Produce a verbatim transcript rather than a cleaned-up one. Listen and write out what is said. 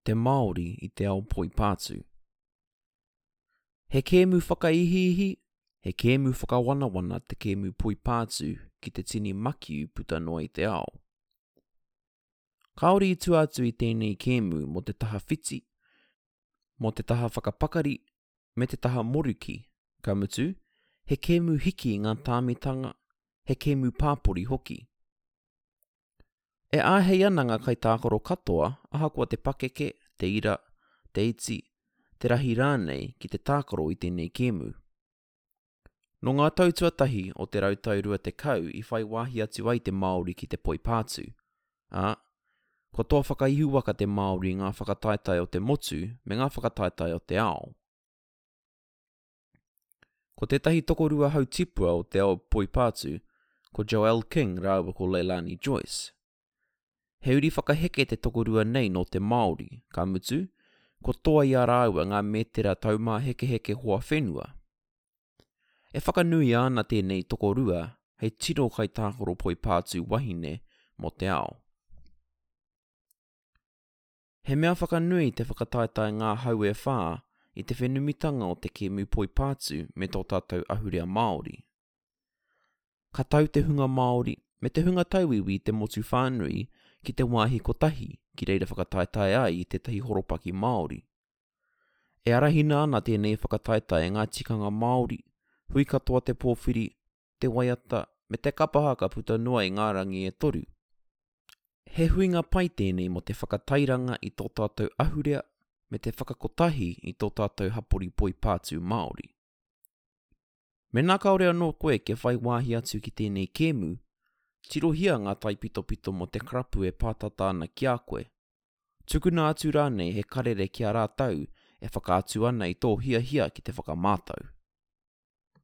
Te Māori i te ao poipātū. He kēmu whakaihiihi, he kēmu whakawanawana te kēmu poipātū ki te tini makiu puta noa i te ao. Kāore i tua atu i tēnei kēmu mō te taha whiti, mō te taha whakapakari, me te taha moruki, ka mutu, he kēmu hiki i ngā tāmitanga, he kēmu pāpori hoki. E āhei ana ngā kaitākaro katoa, ahakoa te pakeke, te ira, te iti, te rahi rānei ki te tākaro i tēnei kēmu. Nō ngā tau tuatahi o te rautau rua tekau i whai wāhi atu ai te Māori ki te poipātū, ā, kua toa whakaihuwaka te Māori i ngā whakataetae o te motu me ngā whakataetae o te ao. Ko tētahi tokorua hautipua o te ao poipātū, ko Joelle King rāua ko Leilani Joyce. He uri whakaheke te tokorua nei nō te Māori, ka mutu, kua toa i a rāua ngā mētera taumāhekeheke hoa whenua. E whakanuia ana tēnei tokorua hei tino kaitākaro poipātū wahine mō te ao. He mea whakanui te whakataetae Ngā Hau e Whā i te whenumitanga o te kēmu poipātū me tō tātou ahurea Māori. Ka tau te hunga Māori me te hunga tauiwi i te motu whānui ki te wāhi kotahi ki reira whakataetae ai i tētahi horopaki Māori. E arahina ana tēnei whakataetae e ngā tikanga Māori, hui katoa te pōwhiri, te waiata, me te kapa haka puta noa i ngā rangi e toru. He huinga pai tēnei mō te whakatairanga i tō tātou ahurea me te whakakotahi i tō tātou hapori poipātū Māori. Mēnā kāore anō koe kia whai wāhi atu ki tēnei kēmu, tirohia ngā taipitopito mō te karapu e pātata ana ki a koe. Tukuna atu rānei he karere ki a rātou e whakaatu ana i tō hiahia ki te whakamātau.